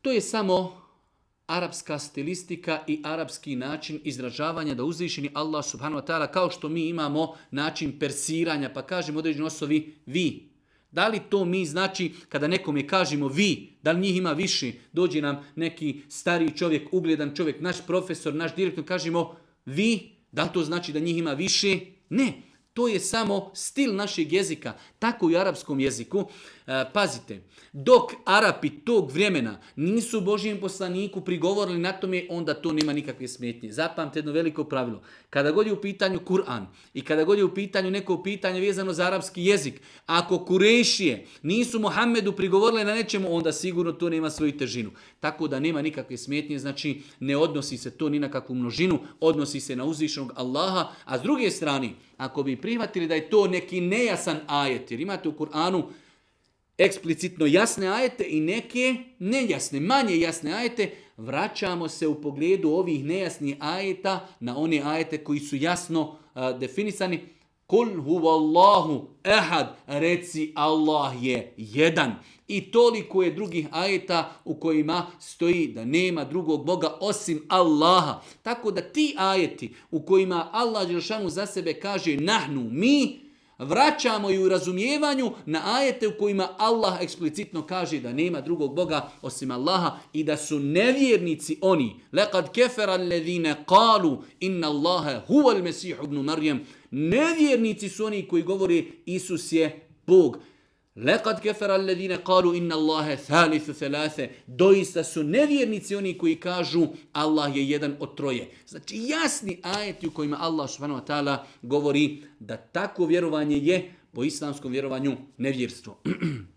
To je samo arapska stilistika i arapski način izražavanja da uzvišeni Allah subhanahu wa ta'ala, kao što mi imamo način persiranja, pa kažemo određeni osobi vi. Da li to mi znači kada nekome kažemo vi, da li njih ima više, dođe nam neki stariji čovjek, ugledan čovjek, naš profesor, naš direktor, kažemo vi, da li to znači da njih ima više? Ne. To je samo stil našeg jezika, tako i u arapskom jeziku. Pazite, dok Arapi tog vremena nisu Božijem poslaniku prigovorili na tome, onda to nema nikakve smetnje. Zapamte jedno veliko pravilo. Kada god je u pitanju Kur'an i kada god je u pitanju neko pitanje vezano za arapski jezik, ako Kurešije nisu Muhammedu prigovorili na nečemu, onda sigurno to nema svoju težinu. Tako da nema nikakve smetnje, znači ne odnosi se to ni na kakvu množinu, odnosi se na uzvišenog Allaha, a s druge strane, ako bi prihvatili da je to neki nejasan ajet, jer imate u Kur'anu eksplicitno jasne ajete i neke nejasne, manje jasne ajete, vraćamo se u pogledu ovih nejasnih ajeta na one ajete koji su jasno definisani. Kul huvallahu ehad, reci Allah je jedan. I toliko je drugih ajeta u kojima stoji da nema drugog Boga osim Allaha. Tako da ti ajeti u kojima Allah dželešanu za sebe kaže nahnu, mi, vraćamo i u razumijevanju na ajete u kojima Allah eksplicitno kaže da nema drugog Boga osim Allaha i da su nevjernici oni. Laqad kefera alladhina qalu inna Allaha huwa al-Masih ibn Maryam. Nevjernici su oni koji govore Isus je Bog. Laqad kefera alladhina qalu inna Allaha thalithu thalatha. Doista su nevjernici oni koji kažu Allah je jedan od troje. Znači jasni ajeti u kojima Allah subhanahu wa ta'ala govori da tako vjerovanje je po islamskom vjerovanju nevjerstvo.